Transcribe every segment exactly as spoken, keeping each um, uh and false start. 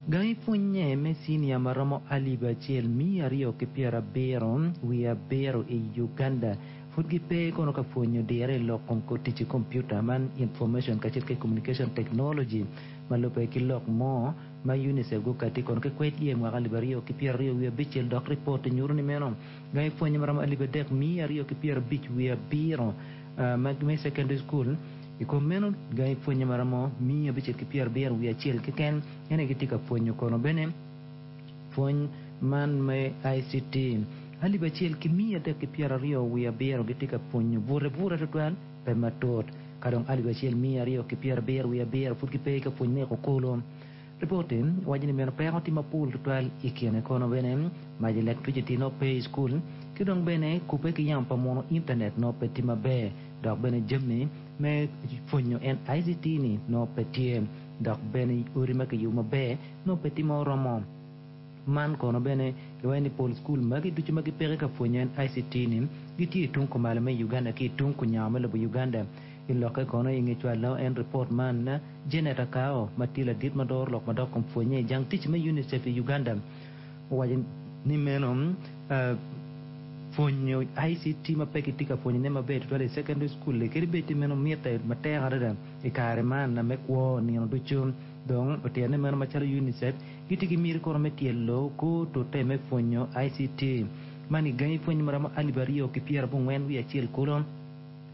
Gangi pwonye me cinia ma romo alip acel miya aryo ki pyerabiro wiye abiro i Uganda pud gipe kono ka pwonyo dire i lok kom tic ki kompiuta man information kacel ki communication technology ma lubbe ki lok mo ma UNICEF gukati kono ki kwec iye mwaka alip aryo ki pyeraryo wiye abicel dok ripot nyuto ni meno gangi pwonye ma romo alip adek miya aryo ki pyerabic wiye abiro me secondary school i kom meno gangi pwonye ma romo miya abicel ki pyerabiro wiye acel keken ene gitye ka pwonyo kono bene pwony man me I C T alip acel ki miya adek ki pyeraryo wiye abiro gitye ka pwonyo bute bute tutwal pe matut ka dong alip acel miya aryo ki pyerabiro wiye abiro pud gipe ka pwony me kukulu. Ripoti waco ni meno peko tye mapol tutwal i kine kono bene mac electricity no pe i skul ki dong bene kubbe ki yamo pa muno internet no pe tye maber dok bene jami me pwonyo en I C T ni no pe tye dok bene odi ma kiyubo maber no pe tye ma oromo. Man kono bene kiwaco ni pol skul magi ducu ma gipeke ka pwonyo en I C T ni gitye i tung kumalo me Uganda ki i tung kunyango me lobo Uganda. I lokke kono i nge cwalo en ripot man, Janet Akao ma tye ladit ma doro lok madok kom pwonye i jang tic me UNICEF i Uganda owaco ni meno pwonyo I C T ma pe gitye ka pwonyone maber tutwal i secondary school kadi bed ti meno mitte matek adada i kare man me kwo nino ducu. Dong otyene ni meno macalo UNICEF gitye ki miti kono me tyelo kor tute me pwonyo I C T man i gangi pwony maromo alip aryo ki pyerabongwen wiye acel kulu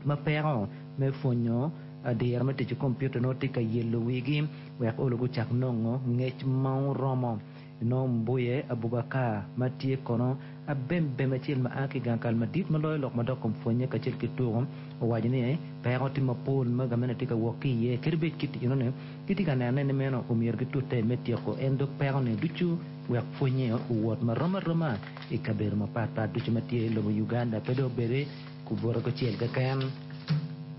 ma peko me pwonyo diro me tic ki kompiuta nongo tye ka yelo wigi wek olo gucak nongo ngec ma oromo. Nongo Mbuye Abubakar ma tye kono abembem acel ma a ki gang kal madit ma loyo lok madok kom pwonye kacel ki tuko owaco ni peko tye mapol ma gamente tye ka wok ki iye kadi bed kit enoni gitye ka nenone ni meno omyero gitute me tyeko en dog peko-ni ducu wek pwonye owot marom aroma i kabedo mapatpat ducu ma tye i lobo Uganda pe dong obedi kubuto kucel keken.